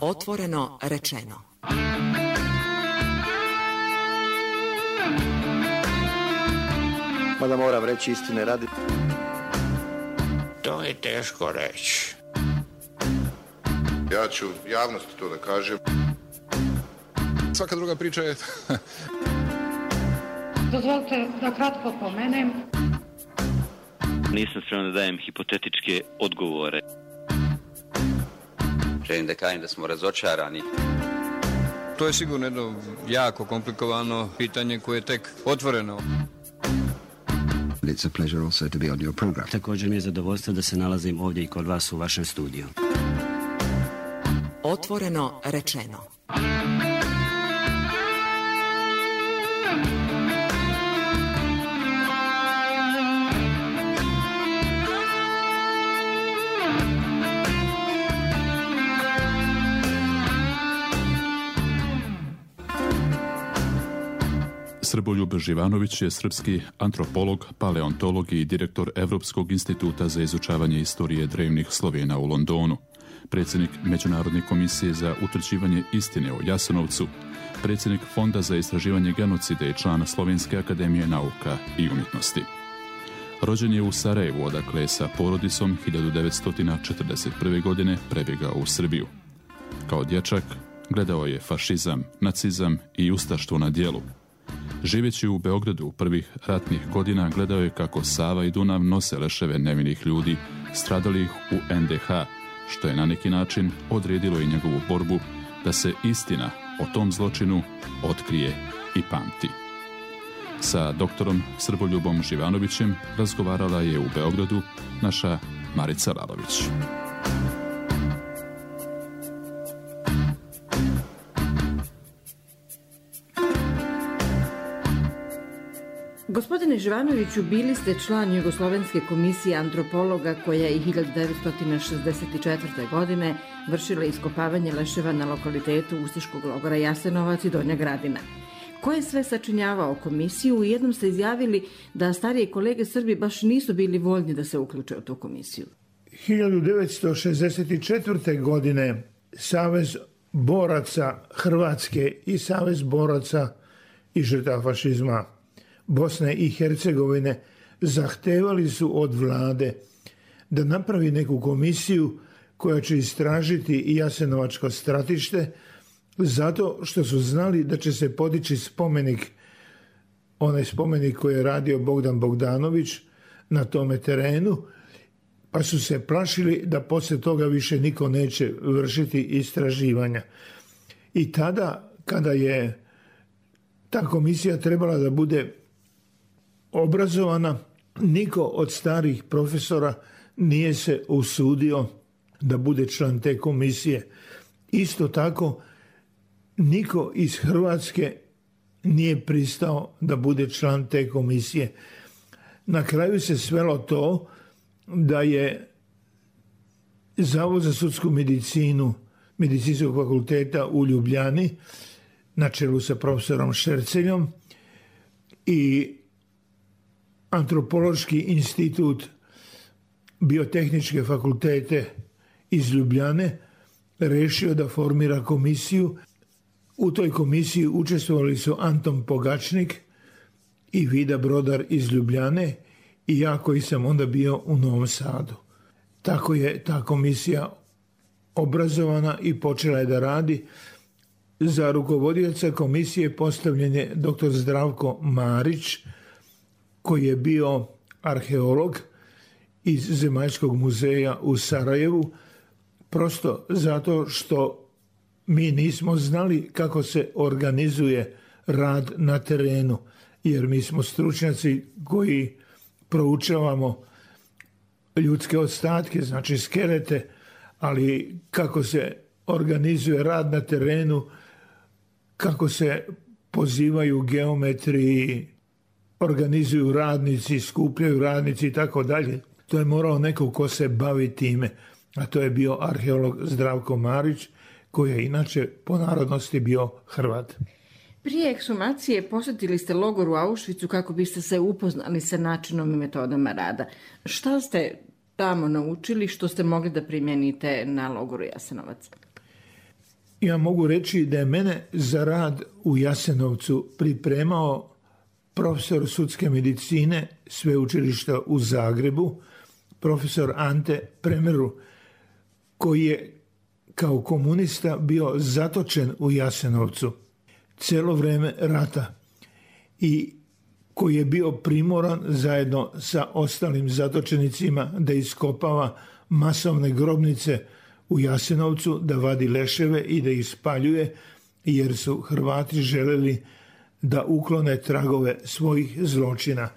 Otvoreno rečeno. Mada moram reći istine radi. To je teško reći. Ja ću javnosti to da kažem. Svaka druga priča je... Dozvolite da kratko pomenem. Nisam spreman da dajem hipotetičke odgovore. Želim da kažem da smo razočarani. To je sigurno jedno jako komplikovano pitanje koje je tek otvoreno. It's a pleasure also to be on your program. Također mi je zadovoljstvo da se nalazim ovdje i kod vas u vašem studiju. Otvoreno rečeno. Srboljub Živanović je srpski antropolog, paleontolog i direktor Evropskog instituta za izučavanje istorije drevnih Slovena u Londonu, predsjednik Međunarodne komisije za utvrđivanje istine o Jasenovcu, predsjednik Fonda za istraživanje genocida i član Slovenske akademije nauka i umjetnosti. Rođen je u Sarajevu, odakle je sa porodicom 1941. godine prebjegao u Srbiju. Kao dječak gledao je fašizam, nacizam i ustaštvo na djelu. Živeći u Beogradu u prvih ratnih godina gledao je kako Sava i Dunav nose leševe nevinih ljudi stradalih u NDH, što je na neki način odredilo i njegovu borbu da se istina o tom zločinu otkrije i pamti. Sa doktorom Srboljubom Živanovićem razgovarala je u Beogradu naša Marica Lalović. Gospodine Živanoviću, bili ste član Jugoslovenske komisije antropologa koja je 1964. godine vršila iskopavanje leševa na lokalitetu ustaškog logora Jasenovac i Donja Gradina. Ko je sve sačinjavao komisiju? U jednom ste izjavili da starije kolege Srbi baš nisu bili voljni da se uključe u tu komisiju. 1964. godine Savez boraca Hrvatske i Savez boraca i žrtava fašizma Bosne i Hercegovine zahtevali su od vlade da napravi neku komisiju koja će istražiti i Jasenovačko stratište, zato što su znali da će se podići spomenik, onaj spomenik koji je radio Bogdan Bogdanović na tome terenu, pa su se plašili da poslije toga više niko neće vršiti istraživanja. I tada, kada je ta komisija trebala da bude obrazovana, niko od starih profesora nije se usudio da bude član te komisije. Isto tako, niko iz Hrvatske nije pristao da bude član te komisije. Na kraju se svelo to da je Zavod za sudsku medicinu Medicinskog fakulteta u Ljubljani na čelu sa profesorom Šerceljom i Antropološki institut Biotehničke fakultete iz Ljubljane rešio da formira komisiju. U toj komisiji učestvovali su Anton Pogačnik i Vida Brodar iz Ljubljane i ja koji sam onda bio u Novom Sadu. Tako je ta komisija obrazovana i počela je da radi. Za rukovodioca komisije postavljen je dr. Zdravko Marić, koji je bio arheolog iz Zemaljskog muzeja u Sarajevu, prosto zato što mi nismo znali kako se organizuje rad na terenu, jer mi smo stručnjaci koji proučavamo ljudske ostatke, znači skelete, ali kako se organizuje rad na terenu, kako se pozivaju geometri, organizuju radnici, skupljaju radnici i tako dalje. To je morao neko ko se bavi time, a to je bio arheolog Zdravko Marić, koji je inače po narodnosti bio Hrvat. Prije ekshumacije posjetili ste logor u Auschwitzu kako biste se upoznali sa načinom i metodama rada. Šta ste tamo naučili što ste mogli da primijenite na logoru Jasenovac? Ja mogu reći da je mene za rad u Jasenovcu pripremao profesor sudske medicine sveučilišta u Zagrebu, profesor Ante Premeru, koji je kao komunista bio zatočen u Jasenovcu cijelo vrijeme rata i koji je bio primoran zajedno sa ostalim zatočenicima da iskopava masovne grobnice u Jasenovcu, da vadi leševe i da ih spaljuje, jer su Hrvati željeli da uklone tragove svojih zločina.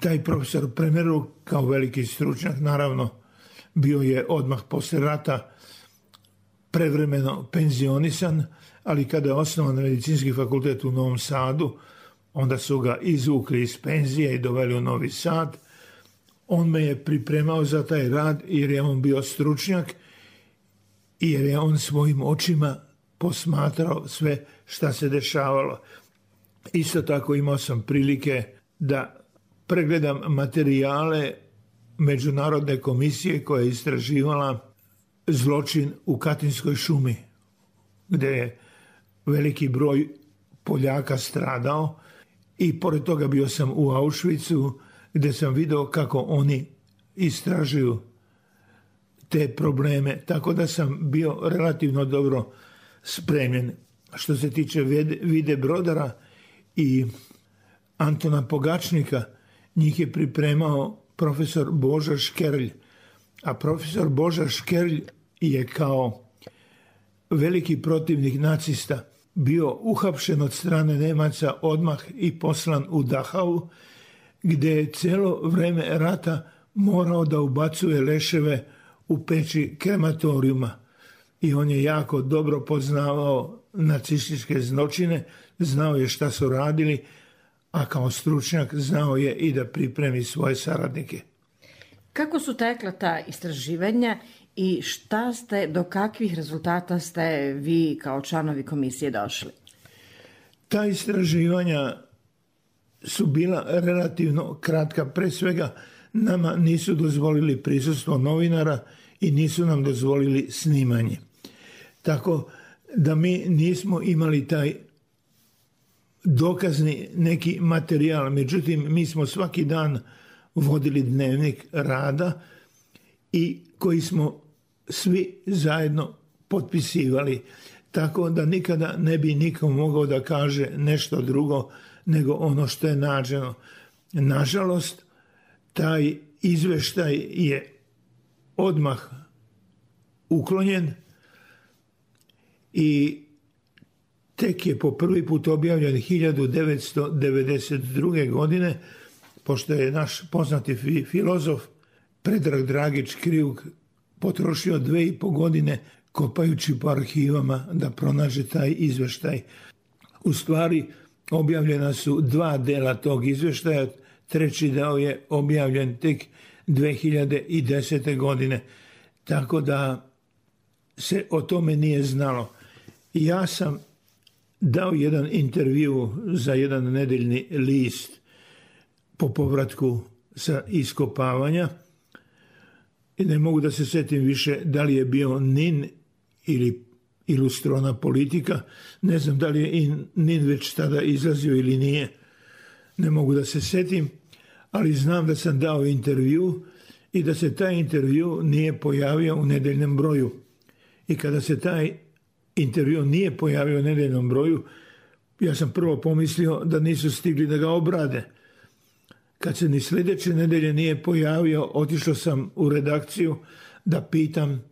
Taj profesor Premeru, kao veliki stručnjak, naravno, bio je odmah poslije rata prevremeno penzionisan, ali kada je osnovan medicinski fakultet u Novom Sadu, onda su ga izvukli iz penzije i doveli u Novi Sad. On me je pripremao za taj rad jer je on bio stručnjak i jer je on svojim očima posmatrao sve šta se dešavalo. Isto tako imao sam prilike da pregledam materijale Međunarodne komisije koja je istraživala zločin u Katinskoj šumi, gdje je veliki broj Poljaka stradao, i pored toga bio sam u Auschwitzu gdje sam vidio kako oni istražuju te probleme, tako da sam bio relativno dobro spremljen. Što se tiče Vide Brodara i Antona Pogačnika, njih je pripremao profesor Božo Škerlj, a profesor Božo Škerlj je kao veliki protivnik nacista bio uhapšen od strane Nemaca odmah i poslan u Dachau, gdje je cijelo vrijeme rata morao da ubacuje leševe u peći krematorijuma. I on je jako dobro poznavao nacističke zločine, znao je šta su radili, a kao stručnjak znao je i da pripremi svoje saradnike. Kako su tekla ta istraživanja i do kakvih rezultata ste vi kao članovi komisije došli? Ta istraživanja su bila relativno kratka. Pre svega nama nisu dozvolili prisustvo novinara i nisu nam dozvolili snimanje. Tako da mi nismo imali taj dokazni neki materijal. Međutim, mi smo svaki dan vodili dnevnik rada i koji smo svi zajedno potpisivali. Tako da nikada ne bi nikom mogao da kaže nešto drugo nego ono što je nađeno. Nažalost, taj izveštaj je odmah uklonjen i tek je po prvi put objavljen 1992. godine, pošto je naš poznati filozof Predrag Dragić Kriuk potrošio 2,5 godine kopajući po arhivama da pronađe taj izveštaj. U stvari, objavljena su 2 dela tog izveštaja, 3. deo je objavljen tek 2010. godine, tako da se o tome nije znalo. Ja sam dao jedan intervju za jedan nedeljni list po povratku sa iskopavanja i ne mogu da se setim više da li je bio NIN ili Ilustrovana politika. Ne znam da li je NIN već tada izlazio ili nije. Ne mogu da se setim, ali znam da sam dao intervju i da se taj intervju nije pojavio u nedeljnom broju. I kada se taj intervju nije pojavio u nedeljnom broju, ja sam prvo pomislio da nisu stigli da ga obrade. Kad se ni sljedeće nedelje nije pojavio, otišao sam u redakciju da pitam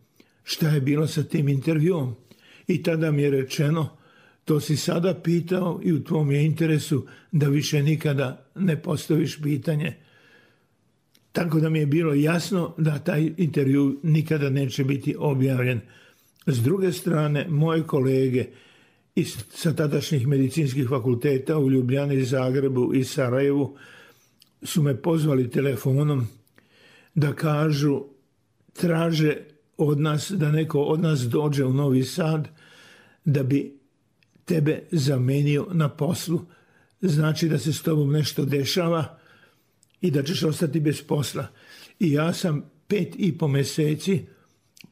šta je bilo sa tim intervjuom. I tada mi je rečeno, to si sada pitao i u tvom je interesu da više nikada ne postaviš pitanje. Tako da mi je bilo jasno da taj intervju nikada neće biti objavljen. S druge strane, moje kolege sa tadašnjih medicinskih fakulteta u Ljubljani, Zagrebu i Sarajevu su me pozvali telefonom da kažu, traže od nas da neko od nas dođe u Novi Sad da bi tebe zamenio na poslu. Znači da se s tobom nešto dešava i da ćeš ostati bez posla. I ja sam 5,5 mjeseci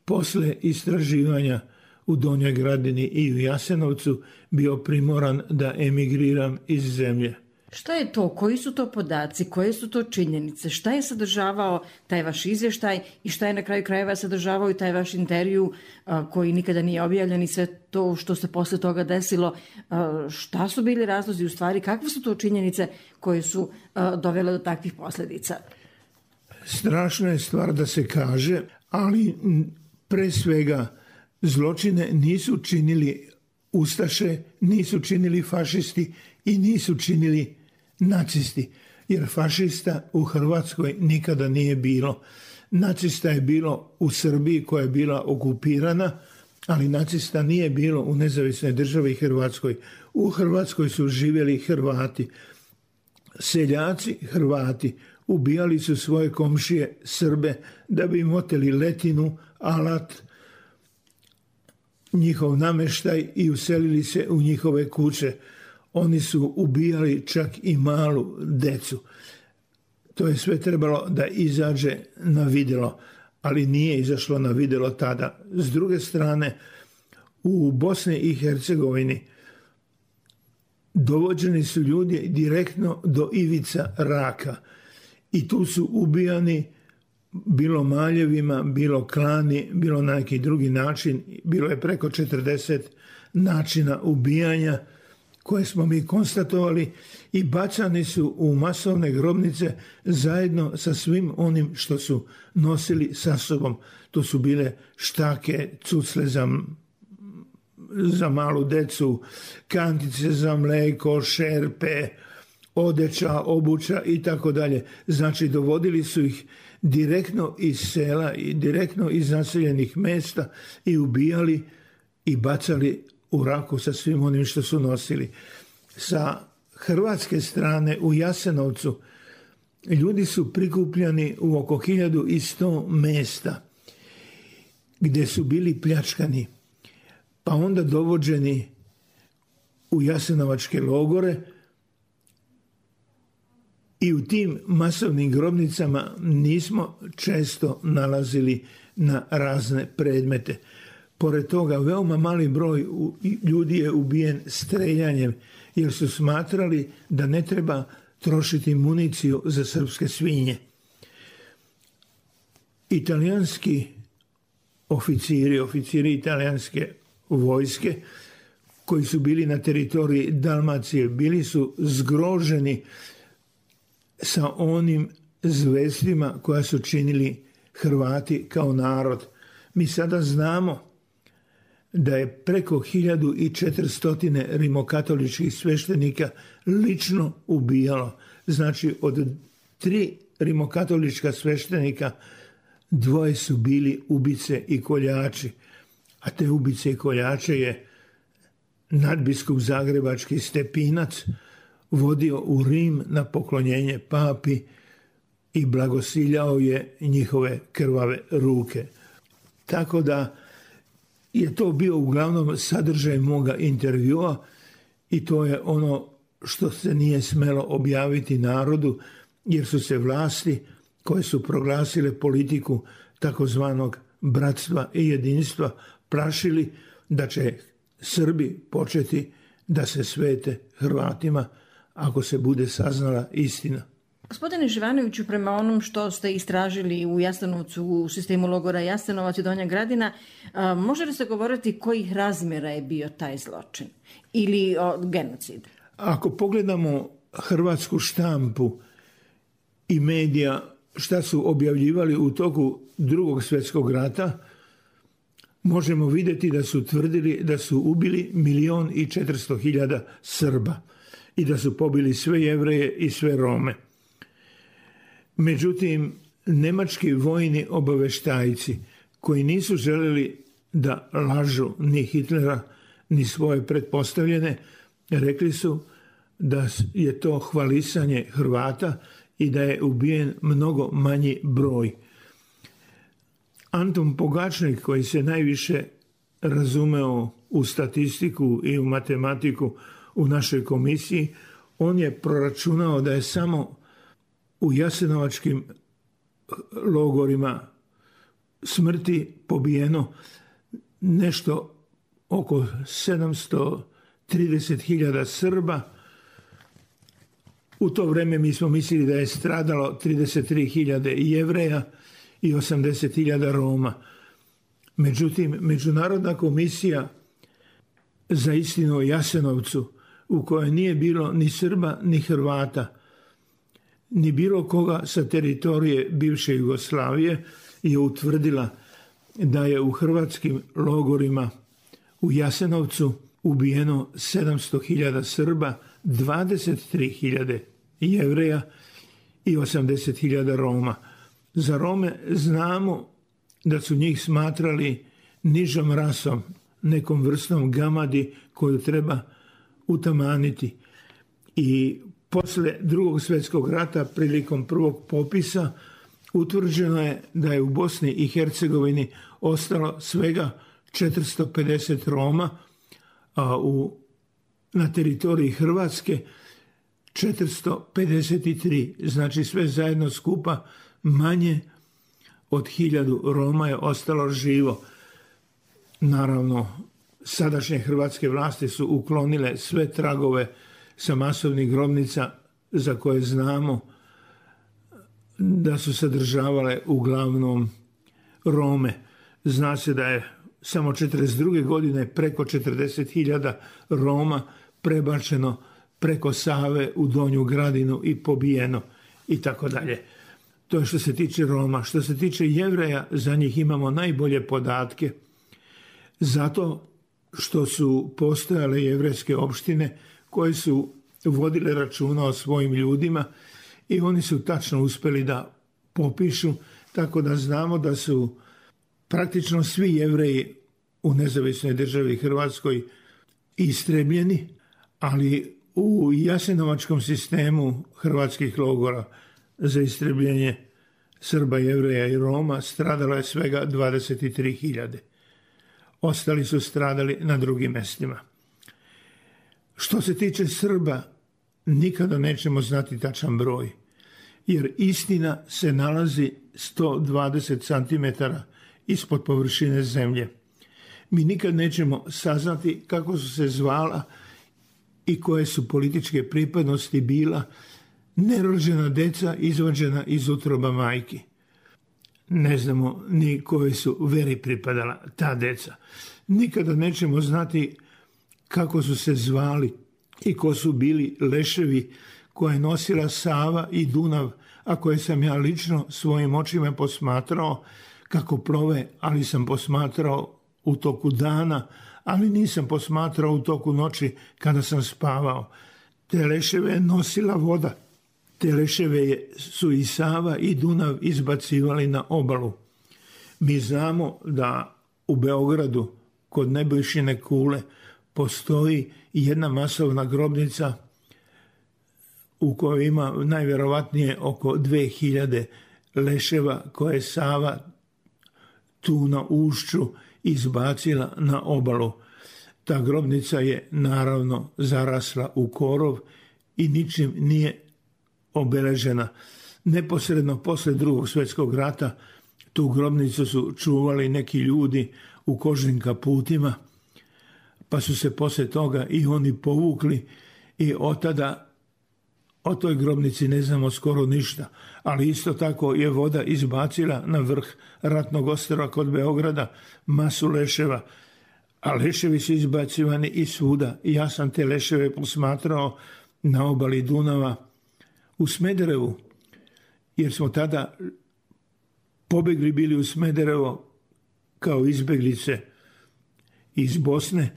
posle istraživanja u Donjoj Gradini i u Jasenovcu bio primoran da emigriram iz zemlje. Šta je to? Koji su to podaci? Koje su to činjenice? Šta je sadržavao taj vaš izvještaj i šta je na kraju krajeva sadržavao i taj vaš intervju koji nikada nije objavljen i sve to što se posle toga desilo? Šta su bili razlozi u stvari? Kakve su to činjenice koje su dovele do takvih posljedica? Strašna je stvar da se kaže, ali pre svega zločine nisu činili ustaše, nisu činili fašisti i nisu činili nacisti, jer fašista u Hrvatskoj nikada nije bilo. Nacista je bilo u Srbiji koja je bila okupirana, ali nacista nije bilo u nezavisnoj državi Hrvatskoj. U Hrvatskoj su živjeli Hrvati. Seljaci Hrvati ubijali su svoje komšije Srbe da bi im oteli letinu, alat, njihov namještaj i uselili se u njihove kuće. Oni su ubijali čak i malu decu. To je sve trebalo da izađe na vidjelo, ali nije izašlo na vidjelo tada. S druge strane, u Bosni i Hercegovini dovođeni su ljudi direktno do ivica raka i tu su ubijani bilo maljevima, bilo klani, bilo na neki drugi način. Bilo je preko 40 načina ubijanja koje smo mi konstatovali i bacani su u masovne grobnice zajedno sa svim onim što su nosili sa sobom. To su bile štake, cucle za malu decu, kantice za mlijeko, šerpe, odeća, obuća i tako dalje. Znači dovodili su ih direktno iz sela i direktno iz naseljenih mjesta i ubijali i bacali u raku sa svim onim što su nosili. Sa hrvatske strane u Jasenovcu ljudi su prikupljani u oko 1100 mjesta gdje su bili pljačkani, pa onda dovođeni u jasenovačke logore i u tim masovnim grobnicama nismo često nalazili na razne predmete. Pored toga, veoma mali broj ljudi je ubijen streljanjem, jer su smatrali da ne treba trošiti municiju za srpske svinje. Italijanski oficiri italijanske vojske koji su bili na teritoriji Dalmacije, bili su zgroženi sa onim zverstvima koja su činili Hrvati kao narod. Mi sada znamo da je preko 1400 rimokatoličkih sveštenika lično ubijalo. Znači od 3 rimokatolička sveštenika 2 su bili ubice i koljači. A te ubice i koljače je nadbiskup zagrebački Stepinac vodio u Rim na poklonjenje papi i blagosiljao je njihove krvave ruke. Tako da je to bio uglavnom sadržaj moga intervjua i to je ono što se nije smelo objaviti narodu, jer su se vlasti koje su proglasile politiku takozvanog bratstva i jedinstva plašili da će Srbi početi da se svete Hrvatima ako se bude saznala istina. Gospodine Živanoviću, prema onom što ste istražili u Jasenovcu, u sistemu logora Jasenovac i Donja Gradina, može li se govoriti kojih razmjera je bio taj zločin ili genocid? Ako pogledamo hrvatsku štampu i medija šta su objavljivali u toku Drugog svjetskog rata, možemo vidjeti da su tvrdili da su ubili 1.400.000 Srba i da su pobili sve Jevreje i sve Rome. Međutim, nemački vojni obaveštajci koji nisu željeli da lažu ni Hitlera ni svoje pretpostavljene, rekli su da je to hvalisanje Hrvata i da je ubijen mnogo manji broj. Anton Pogačnik, koji se najviše razumeo u statistiku i u matematiku u našoj komisiji, on je proračunao da je samo u jasenovačkim logorima smrti pobijeno nešto oko 730.000 Srba. U to vreme mi smo mislili da je stradalo 33.000 Jevreja i 80.000 Roma. Međutim, Međunarodna komisija za istinu o Jasenovcu, u kojoj nije bilo ni Srba ni Hrvata, ni bilo koga sa teritorije bivše Jugoslavije, je utvrdila da je u hrvatskim logorima u Jasenovcu ubijeno 700.000 Srba, 23.000 Jevreja i 80.000 Roma. Za Rome znamo da su njih smatrali nižom rasom, nekom vrstom gamadi koju treba utamaniti. I posle Drugog svjetskog rata, prilikom prvog popisa, utvrđeno je da je u Bosni i Hercegovini ostalo svega 450 Roma, a na teritoriji Hrvatske 453. Znači sve zajedno skupa manje od 1000 Roma je ostalo živo. Naravno, sadašnje hrvatske vlasti su uklonile sve tragove sa masovnih grobnica za koje znamo da su sadržavale uglavnom Rome. Zna se da je samo 1942. godine preko 40.000 Roma prebačeno preko Save u Donju Gradinu i pobijeno i tako dalje. To je što se tiče Roma. Što se tiče Jevreja, za njih imamo najbolje podatke zato što su postojale jevrejske opštine koje su vodile računa o svojim ljudima i oni su tačno uspjeli da popišu, tako da znamo da su praktično svi Jevreji u nezavisnoj državi Hrvatskoj istrebljeni, ali u jasenovačkom sistemu hrvatskih logora za istrebljenje Srba, Jevreja i Roma stradalo je svega 23.000. Ostali su stradali na drugim mjestima. Što se tiče Srba, nikada nećemo znati tačan broj, jer istina se nalazi 120 cm ispod površine zemlje. Mi nikad nećemo saznati kako su se zvala i koje su političke pripadnosti bila nerođena deca izvađena iz utroba majki. Ne znamo ni koje su veri pripadala ta deca. Nikada nećemo znati kako su se zvali i ko su bili leševi koje je nosila Sava i Dunav, a koje sam ja lično svojim očima posmatrao kako plove, ali sam posmatrao u toku dana, ali nisam posmatrao u toku noći kada sam spavao. Te leševe je nosila voda. Te leševe su i Sava i Dunav izbacivali na obalu. Mi znamo da u Beogradu kod Nebojšine kule postoji jedna masovna grobnica u kojoj ima najvjerovatnije oko 2000 leševa koje je Sava tu na ušću izbacila na obalu. Ta grobnica je naravno zarasla u korov i ničim nije obeležena. Neposredno posle Drugog svjetskog rata tu grobnicu su čuvali neki ljudi u kožnim kaputima, pa su se poslije toga i oni povukli i od tada o toj grobnici ne znamo skoro ništa, ali isto tako je voda izbacila na vrh ratnog ostrva kod Beograda masu leševa, a leševi su izbacivani i svuda. Ja sam te leševe posmatrao na obali Dunava u Smederevu, jer smo tada pobegli bili u Smederevo kao izbeglice iz Bosne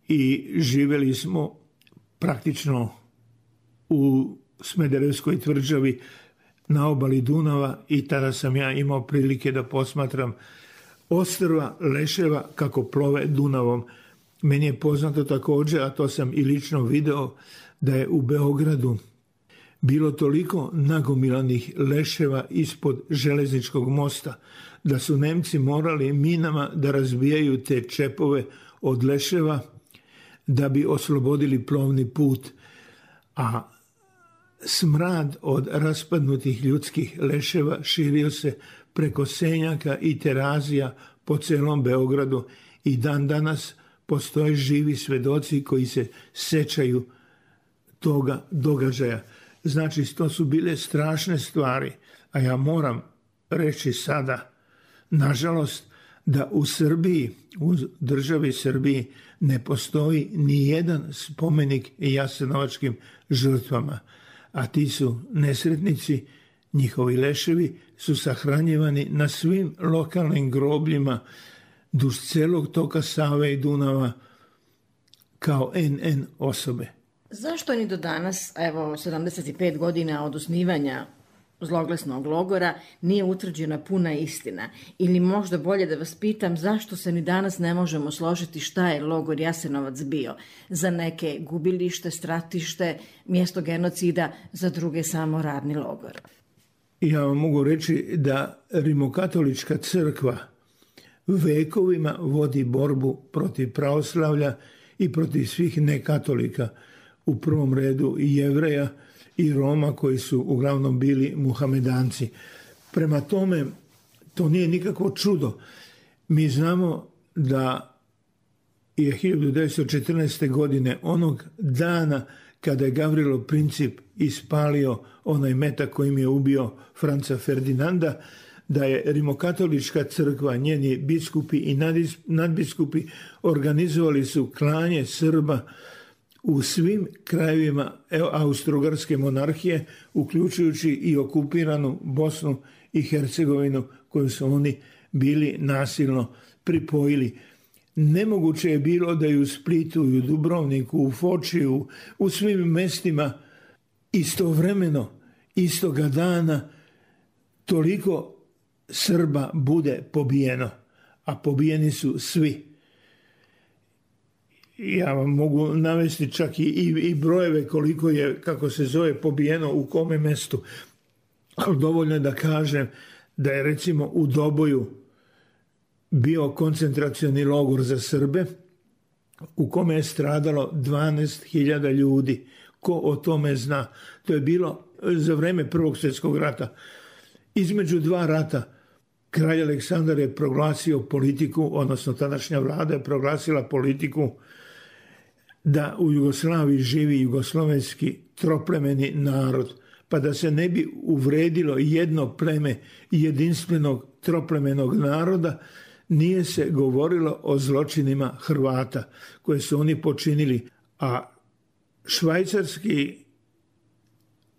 i živjeli smo praktično u Smederevskoj tvrđavi na obali Dunava i tada sam ja imao prilike da posmatram ostrva leševa kako plove Dunavom. Meni je poznato također, a to sam i lično video, da je u Beogradu bilo toliko nagomilanih leševa ispod železničkog mosta da su Nemci morali minama da razbijaju te čepove od leševa da bi oslobodili plovni put, a smrad od raspadnutih ljudskih leševa širio se preko Senjaka i Terazija po celom Beogradu i dan danas postoje živi svedoci koji se sećaju toga događaja. Znači, to su bile strašne stvari, a ja moram reći sada, nažalost, da u Srbiji, u državi Srbiji, ne postoji ni jedan spomenik jasenovačkim žrtvama, a ti su nesretnici, njihovi leševi su sahranjivani na svim lokalnim grobljima duž celog toka Save i Dunava kao NN osobe. Zašto ni do danas, evo 75 godina od osnivanja zloglasnog logora, nije utvrđena puna istina? Ili možda bolje da vas pitam, zašto se ni danas ne možemo složiti šta je logor Jasenovac bio? Za neke gubilište, stratište, mjesto genocida, za druge samo radni logor. Ja vam mogu reći da Rimokatolička crkva vekovima vodi borbu protiv pravoslavlja i protiv svih nekatolika, u prvom redu i Jevreja i Roma koji su uglavnom bili muhamedanci. Prema tome, to nije nikakvo čudo. Mi znamo da je 1914. godine, onog dana kada je Gavrilo Princip ispalio onaj metak kojim je ubio Franca Ferdinanda, da je Rimokatolička crkva, njeni biskupi i nadbiskupi organizovali su klanje Srba u svim krajevima Austro-Ugarske monarhije, uključujući i okupiranu Bosnu i Hercegovinu koju su oni bili nasilno pripojili. Nemoguće je bilo da i u Splitu, i u Dubrovniku, u Fočiju, u svim mestima istovremeno, istoga dana, toliko Srba bude pobijeno, a pobijeni su svi. Ja vam mogu navesti čak i brojeve koliko je, kako se zove, pobijeno u kome mestu. Ali dovoljno je da kažem da je recimo u Doboju bio koncentracioni logor za Srbe u kome je stradalo 12.000 ljudi. Ko o tome zna? To je bilo za vreme Prvog svjetskog rata. Između dva rata kralj Aleksandar je proglasio politiku, odnosno tadašnja vlada je proglasila politiku da u Jugoslaviji živi jugoslovenski troplemeni narod, pa da se ne bi uvredilo jedno pleme jedinstvenog troplemenog naroda, nije se govorilo o zločinima Hrvata koje su oni počinili, a švajcarski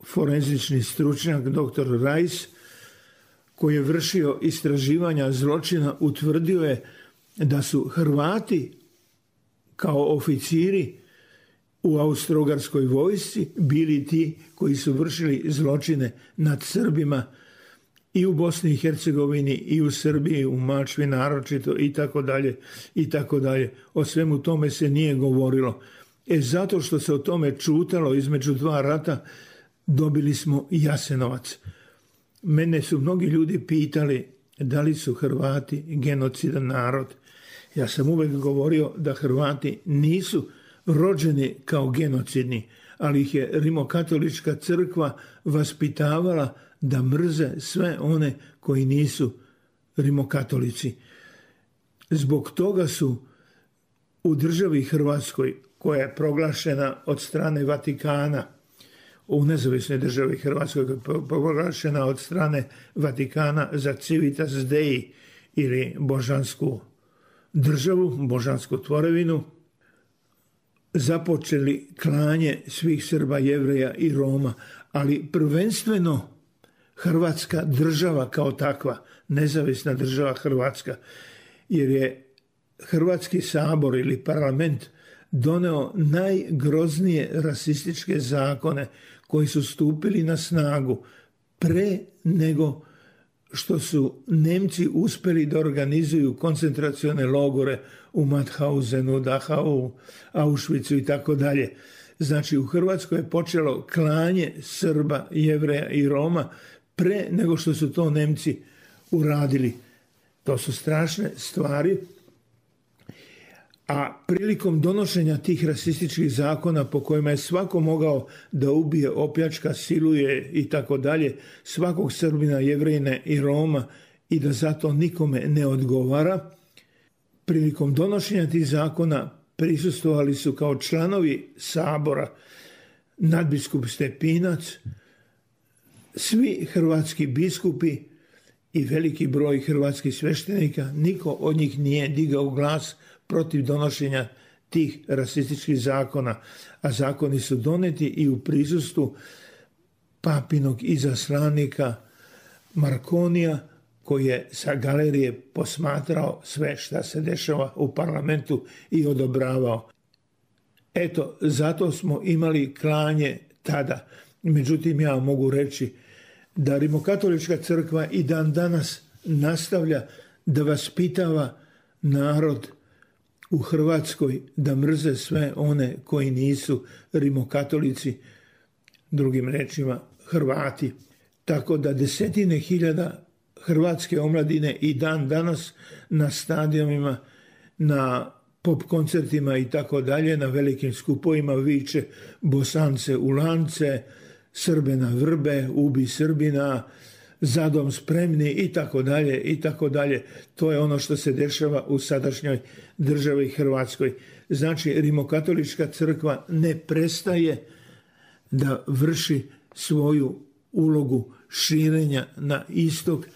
forenzični stručnjak dr. Rajs, koji je vršio istraživanja zločina, utvrdio je da su Hrvati kao oficiri u Austro-Ugarskoj vojsci bili ti koji su vršili zločine nad Srbima i u Bosni i Hercegovini i u Srbiji, u Mačvi naročito i tako dalje i tako dalje. O svemu tome se nije govorilo. Zato što se o tome čutalo između dva rata, dobili smo Jasenovac. Mene su mnogi ljudi pitali da li su Hrvati genocidan narod. Ja sam uvek govorio da Hrvati nisu rođeni kao genocidni, ali ih je Rimokatolička crkva vaspitavala da mrze sve one koji nisu rimokatolici. Zbog toga su u državi Hrvatskoj, koja je proglašena od strane Vatikana, u nezavisnoj državi Hrvatskoj, koja je proglašena od strane Vatikana za Civitas Dei ili božansku državu, božansku tvorevinu, započeli klanje svih Srba, Jevreja i Roma, ali prvenstveno Hrvatska država kao takva, nezavisna država Hrvatska, jer je Hrvatski sabor ili parlament doneo najgroznije rasističke zakone koji su stupili na snagu pre nego što su Nemci uspeli da organizuju koncentracione logore u Mauthausenu, Dachau, Auschwitzu i tako dalje. Znači, u Hrvatskoj je počelo klanje Srba, Jevreja i Roma pre nego što su to Nemci uradili. To su strašne stvari. A prilikom donošenja tih rasističkih zakona po kojima je svako mogao da ubije, opljačka, siluje i tako dalje, svakog Srbina, Jevrejine i Roma i da zato nikome ne odgovara, prilikom donošenja tih zakona prisustvovali su kao članovi sabora nadbiskup Stepinac, svi hrvatski biskupi i veliki broj hrvatskih sveštenika. Niko od njih nije digao glas protiv donošenja tih rasističkih zakona, a zakoni su doneti i u prisustvu papinog izaslanika Markonija, koji je sa galerije posmatrao sve šta se dešava u parlamentu i odobravao. Eto, zato smo imali klanje tada. Međutim, ja mogu reći da Rimokatolička crkva i dan danas nastavlja da vaspitava narod u Hrvatskoj da mrze sve one koji nisu rimokatolici, drugim rečima Hrvati. Tako da desetine hiljada hrvatske omladine i dan danas na stadionima, na pop koncertima i tako dalje, na velikim skupovima viče Bosance u lance, Srbe na vrbe, ubi Srbina, za dom spremni i tako dalje i tako dalje. To je ono što se dešava u sadašnjoj državi Hrvatskoj. Znači, Rimokatolička crkva ne prestaje da vrši svoju ulogu širenja na istok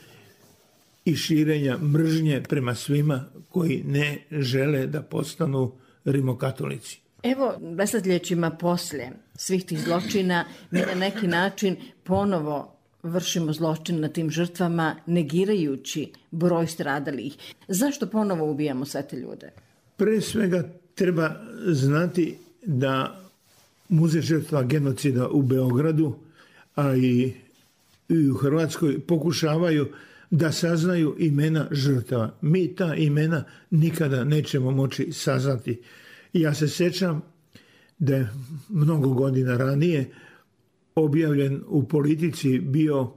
i širenja mržnje prema svima koji ne žele da postanu rimokatolici. Evo, desetljećima poslije svih tih zločina mi na neki način ponovo vršimo zločin na tim žrtvama negirajući broj stradalih. Zašto ponovo ubijamo sve te ljude? Pre svega treba znati da Muzej žrtva genocida u Beogradu, a i u Hrvatskoj pokušavaju da saznaju imena žrtava. Mi ta imena nikada nećemo moći saznati. Ja se sjećam da je mnogo godina ranije objavljen u Politici bio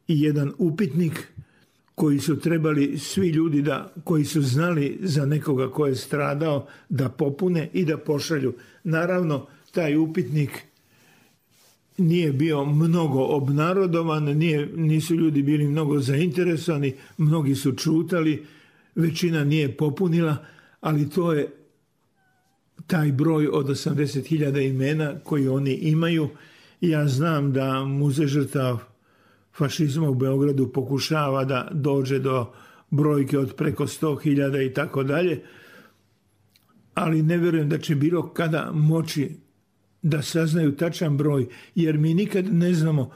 i jedan upitnik koji su trebali svi ljudi koji su znali za nekoga ko je stradao da popune i da pošalju. Naravno, taj upitnik nije bio mnogo obnarodovan, nisu ljudi bili mnogo zainteresovani, mnogi su čutali, većina nije popunila, ali to je taj broj od 80.000 imena koji oni imaju. Ja znam da Muzej žrtava fašizma u Beogradu pokušava da dođe do brojke od preko 100.000 i tako dalje, ali ne vjerujem da će bilo kada moći da saznaju tačan broj, jer mi nikad ne znamo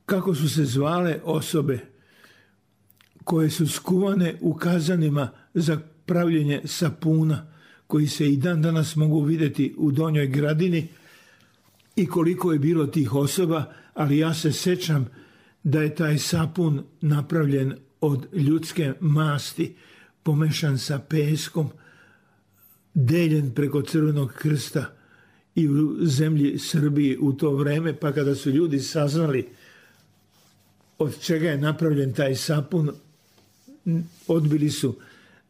kako su se zvale osobe koje su skuvane u kazanima za pravljenje sapuna, koji se i dan danas mogu vidjeti u Donjoj Gradini, i koliko je bilo tih osoba, ali ja se sjećam da je taj sapun napravljen od ljudske masti, pomešan sa peskom, deljen preko Crvenog krsta i u zemlji Srbiji u to vreme, pa kada su ljudi saznali od čega je napravljen taj sapun, odbili su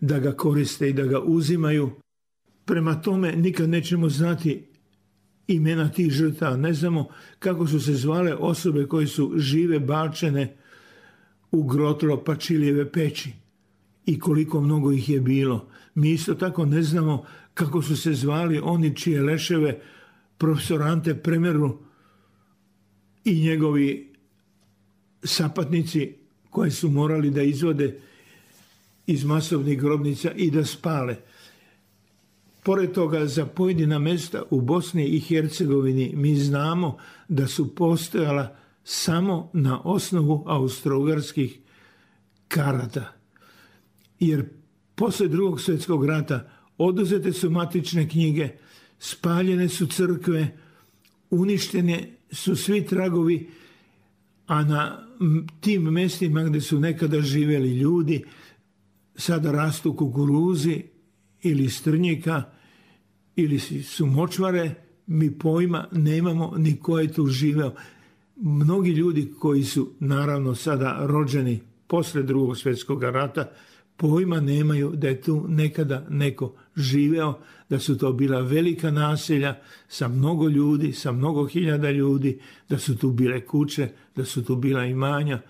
da ga koriste i da ga uzimaju. Prema tome nikad nećemo znati imena tih žrtava. Ne znamo kako su se zvale osobe koje su žive bačene u grotlo Pačilijeve peći i koliko mnogo ih je bilo. Mi isto tako ne znamo kako su se zvali oni čije leševe profesor Ante Premeru i njegovi sapatnici koje su morali da izvode iz masovnih grobnica i da spale. Pored toga, za pojedina mjesta u Bosni i Hercegovini mi znamo da su postojala samo na osnovu austro-ugarskih karata. Jer poslije Drugog svjetskog rata oduzete su matične knjige, spaljene su crkve, uništene su svi tragovi, a na tim mjestima gdje su nekada živjeli ljudi sada rastu kukuruzi ili strnjika ili su močvare, mi pojma nemamo ni ko je tu živeo. Mnogi ljudi koji su naravno sada rođeni poslije Drugog svjetskog rata pojma nemaju da je tu nekada neko živeo, da su to bila velika naselja sa mnogo ljudi, sa mnogo hiljada ljudi, da su tu bile kuće, da su tu bila imanja,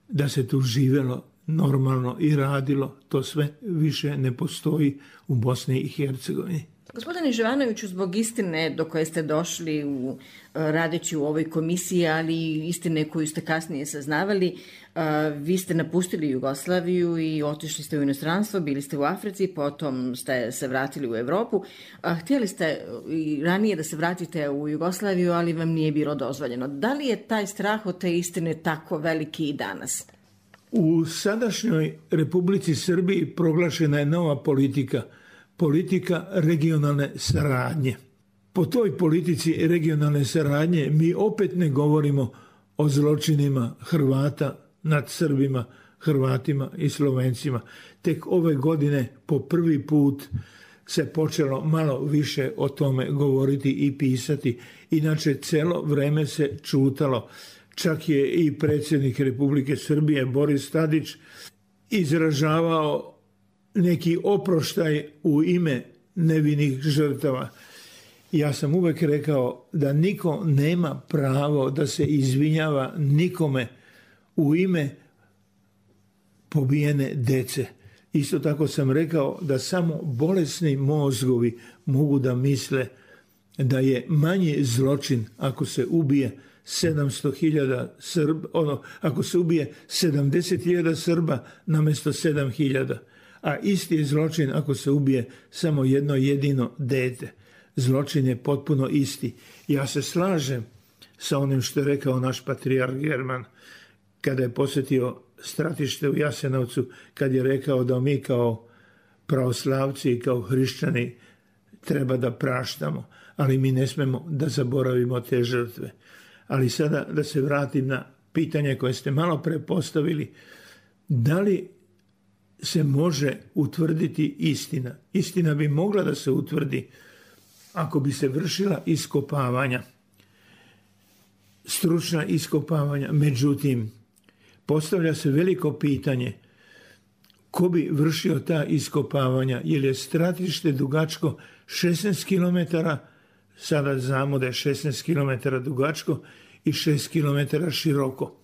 da se tu živelo normalno i radilo. To sve više ne postoji u Bosni i Hercegovini. Gospodine Živanoviću, zbog istine do koje ste došli radeći u ovoj komisiji, ali i istine koju ste kasnije saznavali, vi ste napustili Jugoslaviju i otišli ste u inostranstvo, bili ste u Africi, potom ste se vratili u Evropu. Htjeli ste i ranije da se vratite u Jugoslaviju, ali vam nije bilo dozvoljeno. Da li je taj strah od te istine tako veliki i danas? U sadašnjoj Republici Srbiji proglašena je nova politika regionalne saradnje. Po toj politici regionalne saradnje mi opet ne govorimo o zločinima Hrvata nad Srbima, Hrvatima i Slovencima. Tek ove godine po prvi put se počelo malo više o tome govoriti i pisati. Inače, celo vreme se čutalo. Čak je i predsjednik Republike Srbije Boris Tadić izražavao neki oproštaj u ime nevinih žrtava. Ja sam uvek rekao da niko nema pravo da se izvinjava nikome u ime pobijene dece. Isto tako sam rekao da samo bolesni mozgovi mogu da misle da je manji zločin ako se ubije 700.000 Srba, ako se ubije 70.000 Srba namjesto 7.000. A isti je zločin ako se ubije samo jedno jedino dete. Zločin je potpuno isti. Ja se slažem sa onim što je rekao naš patrijarh German kada je posjetio stratište u Jasenovcu, kad je rekao da mi kao pravoslavci i kao hrišćani treba da praštamo, ali mi ne smemo da zaboravimo te žrtve. Ali sada da se vratim na pitanje koje ste malo pre postavili, da li se može utvrditi istina? Istina bi mogla da se utvrdi ako bi se vršila iskopavanja, stručna iskopavanja. Međutim, postavlja se veliko pitanje ko bi vršio ta iskopavanja, jer je stratište dugačko 16 km, sada znamo da je 16 km dugačko i 6 km široko.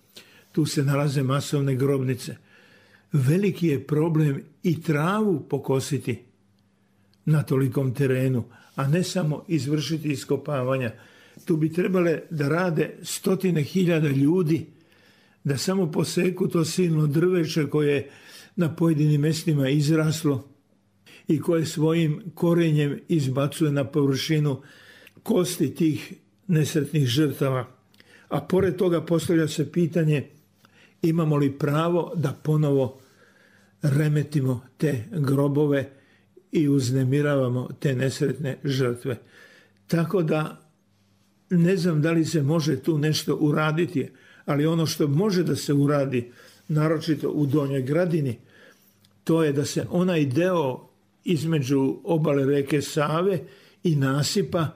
Tu se nalaze masovne grobnice. Veliki je problem i travu pokositi na tolikom terenu, a ne samo izvršiti iskopavanja. Tu bi trebale da rade 100.000 ljudi, da samo poseku to silno drveće koje na pojedinim mjestima izraslo i koje svojim korenjem izbacuje na površinu kosti tih nesretnih žrtava. A pored toga postavlja se pitanje imamo li pravo da ponovo remetimo te grobove i uznemiravamo te nesretne žrtve. Tako da ne znam da li se može tu nešto uraditi, ali ono što može da se uradi, naročito u Donjoj Gradini, to je da se onaj deo između obale reke Save i nasipa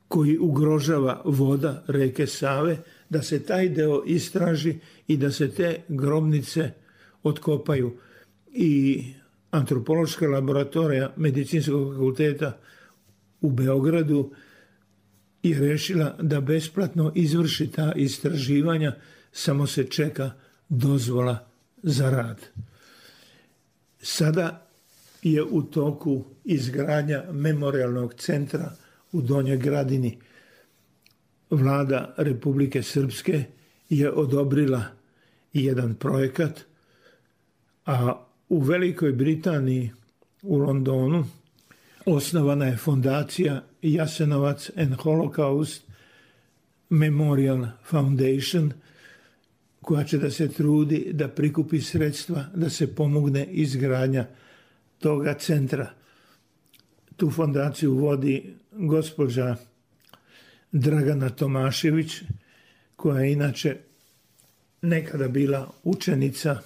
koji ugrožava voda reke Save, da se taj deo istraži i da se te grobnice otkopaju. I antropološka laboratorija Medicinskog fakulteta u Beogradu je rešila da besplatno izvrši ta istraživanja, samo se čeka dozvola za rad. Sada je u toku izgradnja memorijalnog centra u Donjoj Gradini. Vlada Republike Srpske je odobrila jedan projekat, a u Velikoj Britaniji, u Londonu, osnovana je fondacija Jasenovac and Holocaust Memorial Foundation, koja će da se trudi da prikupi sredstva da se pomogne izgradnja toga centra. Tu fondaciju vodi gospođa Dragana Tomašević, koja je inače nekada bila učenica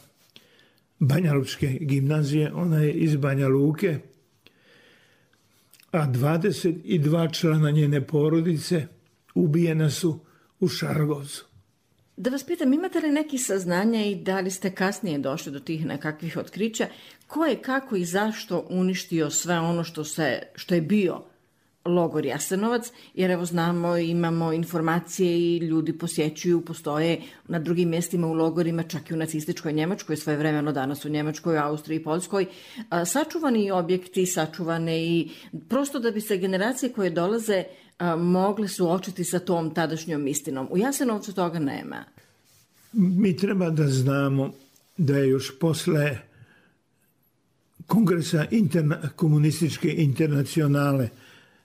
Banjalučke gimnazije, ona je iz Banja Luke, a 22 člana njene porodice ubijena su u Šargovcu. Da vas pitam, imate li neki saznanja i da li ste kasnije došli do tih nekakvih otkrića, ko je, kako i zašto uništio sve ono što je bio logor Jasenovac, jer evo znamo, imamo informacije i ljudi posjećuju, postoje na drugim mjestima u logorima, čak i u nacističkoj Njemačkoj, svojevremeno danas u Njemačkoj, Austriji i Poljskoj, sačuvani objekti, sačuvane i prosto da bi se generacije koje dolaze mogle suočiti sa tom tadašnjom istinom. U Jasenovcu toga nema. Mi treba da znamo da je još posle Kongresa komunističke internacionale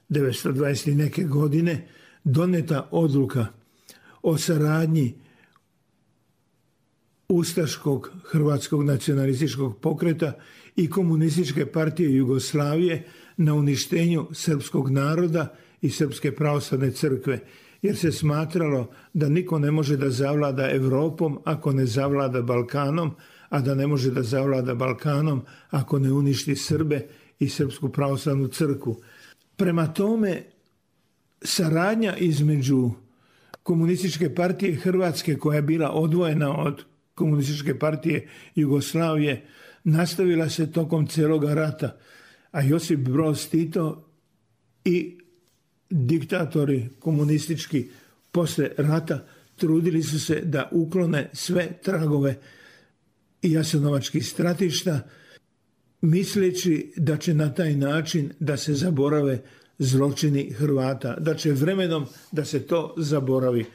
1920. neke godine doneta odluka o saradnji Ustaškog hrvatskog nacionalističkog pokreta i Komunističke partije Jugoslavije na uništenju srpskog naroda i Srpske pravoslavne crkve, jer se smatralo da niko ne može da zavlada Evropom ako ne zavlada Balkanom, a da ne može da zavlada Balkanom ako ne uništi Srbe i Srpsku pravoslavnu crkvu. Prema tome, saradnja između Komunističke partije Hrvatske, koja je bila odvojena od Komunističke partije Jugoslavije, nastavila se tokom cijeloga rata, a Josip Broz Tito i diktatori komunistički posle rata trudili su se da uklone sve tragove jasenovačkih stratišta, misleći da će na taj način da se zaborave zločini Hrvata, da će vremenom da se to zaboravi.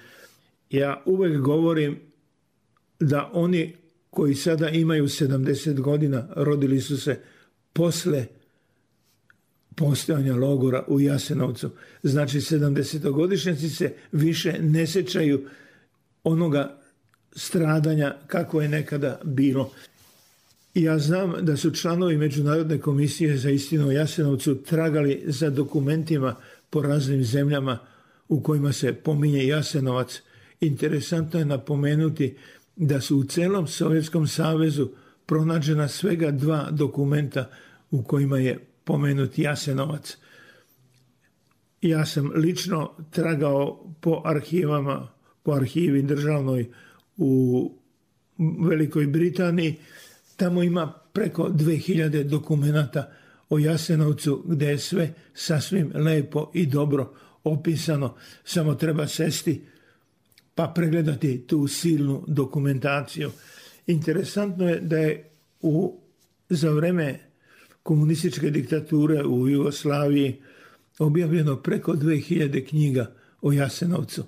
Ja uvek govorim da oni koji sada imaju 70 godina rodili su se posle postojanja logora u Jasenovcu. Znači 70-godišnjaci se više ne sećaju onoga stradanja kako je nekada bilo. Ja znam da su članovi Međunarodne komisije za istinu o Jasenovcu tragali za dokumentima po raznim zemljama u kojima se pominje Jasenovac. Interesantno je napomenuti da su u celom Sovjetskom savezu pronađena svega 2 dokumenta u kojima je pomenut Jasenovac. Ja sam lično tragao po arhivama, po arhivi državnoj u Velikoj Britaniji. Tamo ima preko 2000 dokumenata o Jasenovcu gdje je sve sasvim lepo i dobro opisano. Samo treba sesti pa pregledati tu silnu dokumentaciju. Interesantno je da je za vreme komunističke diktature u Jugoslaviji objavljeno preko 2000 knjiga o Jasenovcu,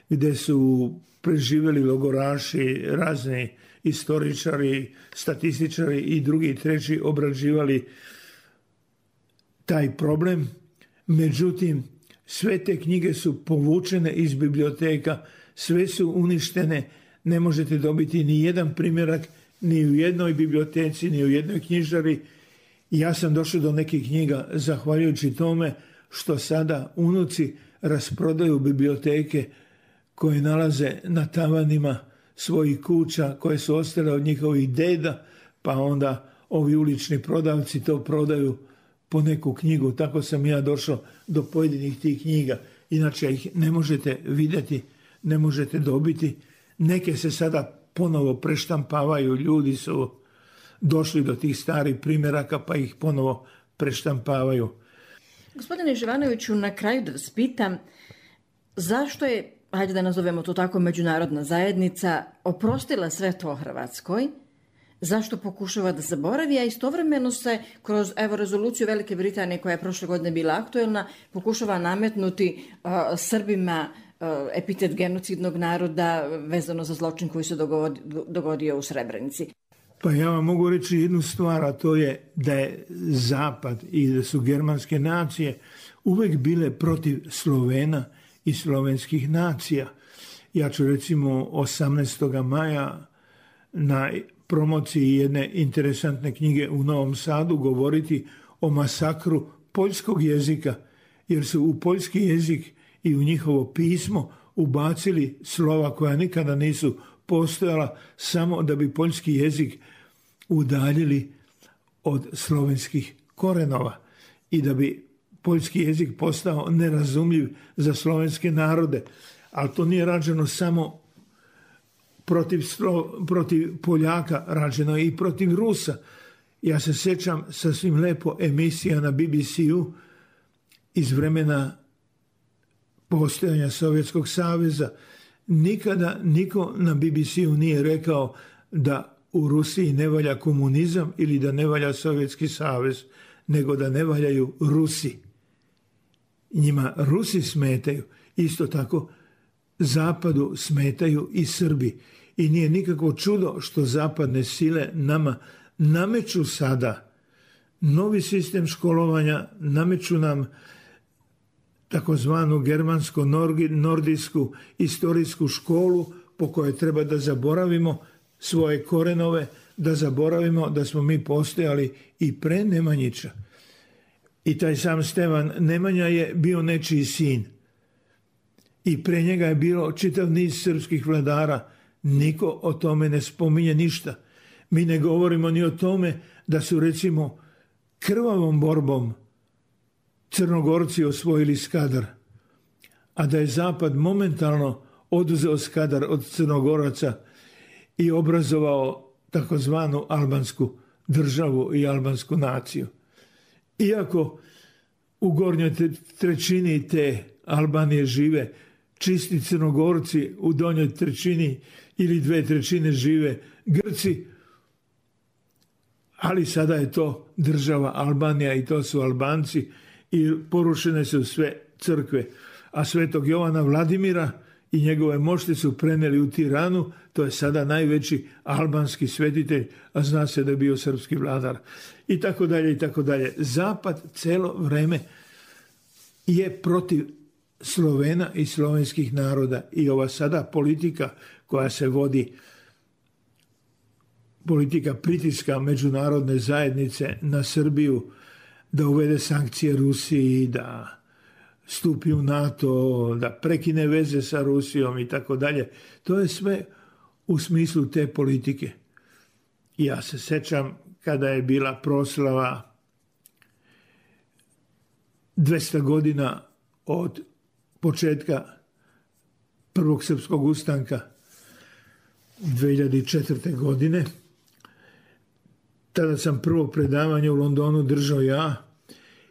gdje su preživjeli logoraši, razni istoričari, statističari i drugi i treći obrađivali taj problem. Međutim, sve te knjige su povučene iz biblioteka, sve su uništene, ne možete dobiti ni jedan primjerak ni u jednoj biblioteci, ni u jednoj knjižari. Ja sam došao do nekih knjiga zahvaljujući tome što sada unuci rasprodaju biblioteke koje nalaze na tavanima svojih kuća koje su ostale od njihovih deda, pa onda ovi ulični prodavci to prodaju po neku knjigu. Tako sam ja došao do pojedinih tih knjiga. Inače ih ne možete vidjeti, ne možete dobiti. Neke se sada ponovo preštampavaju, ljudi su došli do tih starih primjeraka pa ih ponovo preštampavaju. Gospodine Živanoviću, na kraju da vas pitam, zašto je, hajde da nazovemo to tako, međunarodna zajednica oprostila sve to Hrvatskoj? Zašto pokušava da zaboravi, a istovremeno se kroz rezoluciju Velike Britanije koja je prošle godine bila aktuelna pokušava nametnuti Srbima epitet genocidnog naroda vezano za zločin koji se dogodio u Srebrenici. Pa ja vam mogu reći jednu stvar, a to je da je Zapad i da su germanske nacije uvek bile protiv Slovena i slovenskih nacija. Ja ću recimo 18. maja na promociji jedne interesantne knjige u Novom Sadu govoriti o masakru poljskog jezika, jer su u poljski jezik i u njihovo pismo ubacili slova koja nikada nisu postojala, samo da bi poljski jezik udaljili od slovenskih korenova i da bi poljski jezik postao nerazumljiv za slovenske narode. Ali to nije rađeno samo protiv Poljaka, rađeno je i protiv Rusa. Ja se sjećam sasvim lepo emisija na BBC-u iz vremena postojanja Sovjetskog saveza. Nikada niko na BBC-u nije rekao da u Rusiji ne valja komunizam ili da ne valja Sovjetski savez, nego da ne valjaju Rusi. Njima Rusi smetaju. Isto tako Zapadu smetaju i Srbi. I nije nikakvo čudo što zapadne sile nama nameću sada novi sistem školovanja, nameću nam takozvanu germansko-nordijsku istorijsku školu po kojoj treba da zaboravimo svoje korenove, da zaboravimo da smo mi postojali i pre Nemanjića. I taj sam Stevan Nemanja je bio nečiji sin. I pre njega je bilo čitav niz srpskih vladara. Niko o tome ne spominje ništa. Mi ne govorimo ni o tome da su, recimo, krvavom borbom Crnogorci osvojili Skadar, a da je Zapad momentalno oduzeo Skadar od Crnogoraca i obrazovao takozvanu albansku državu i albansku naciju. Iako u gornjoj trećini te Albanije žive čisti Crnogorci, u donjoj trećini ili 2/3 žive Grci, ali sada je to država Albanija i to su Albanci i porušene su sve crkve. A svetog Jovana Vladimira i njegove mošti su preneli u Tiranu, to je sada najveći albanski svetitelj, a zna se da je bio srpski vladar. I tako dalje, i tako dalje. Zapad celo vreme je protiv Slovena i slovenskih naroda i ova sada politika koja se vodi, politika pritiska međunarodne zajednice na Srbiju da uvede sankcije Rusiji, da stupi u NATO, da prekine veze sa Rusijom i tako dalje. To je sve u smislu te politike. Ja se sećam kada je bila proslava 200 godina od početka prvog srpskog ustanka 2004. godine. Tada sam prvo predavanje u Londonu držao ja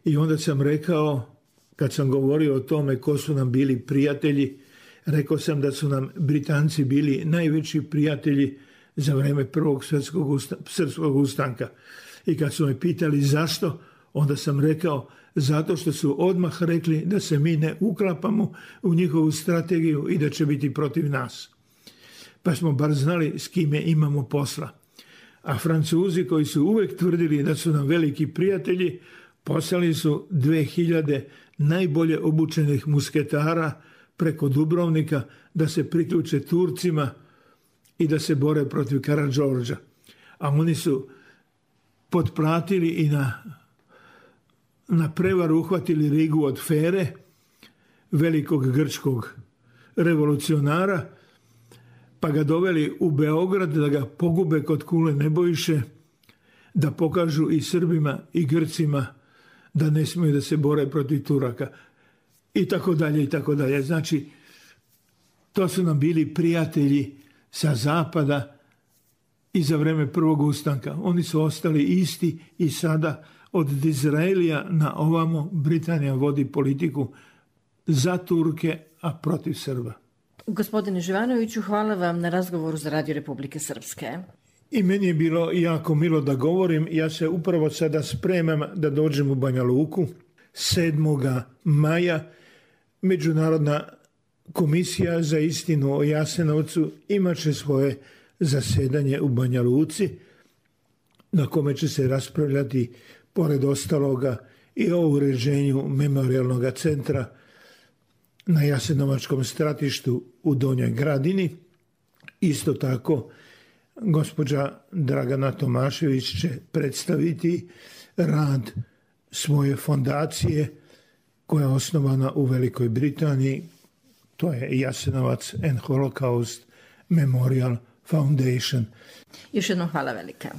i onda sam rekao, kad sam govorio o tome ko su nam bili prijatelji, rekao sam da su nam Britanci bili najveći prijatelji za vreme prvog srpskog ustanka. I kad su me pitali zašto, onda sam rekao zato što su odmah rekli da se mi ne uklapamo u njihovu strategiju i da će biti protiv nas. Pa smo bar znali s kime imamo posla. A Francuzi koji su uvek tvrdili da su nam veliki prijatelji, poslali su 2000 najbolje obučenih musketara preko Dubrovnika da se priključe Turcima i da se bore protiv Karađorđa. A oni su potplatili i na prevaru uhvatili Rigu od Fere, velikog grčkog revolucionara, pa ga doveli u Beograd da ga pogube kod Kule Nebojše, da pokažu i Srbima i Grcima da ne smiju da se bore protiv Turaka. I tako dalje, i tako dalje. Znači, to su nam bili prijatelji sa zapada i za vreme prvog ustanka. Oni su ostali isti i sada od Dizraelija na ovamo Britanija vodi politiku za Turke, a protiv Srba. Gospodine Živanoviću, hvala vam na razgovoru za Radio Republike Srpske. I meni je bilo jako milo da govorim. Ja se upravo sada spremam da dođem u Banja Luku. 7. maja Međunarodna komisija za istinu o Jasenovcu imaće svoje zasedanje u Banja Luci, na kome će se raspravljati, pored ostaloga, i o uređenju memorijalnog centra na Jasenovačkom stratištu u Donjoj Gradini. Isto tako, gospođa Dragana Tomašević će predstaviti rad svoje fondacije koja je osnovana u Velikoj Britaniji. To je Jasenovac and Holocaust Memorial Foundation. Još jednom hvala velika.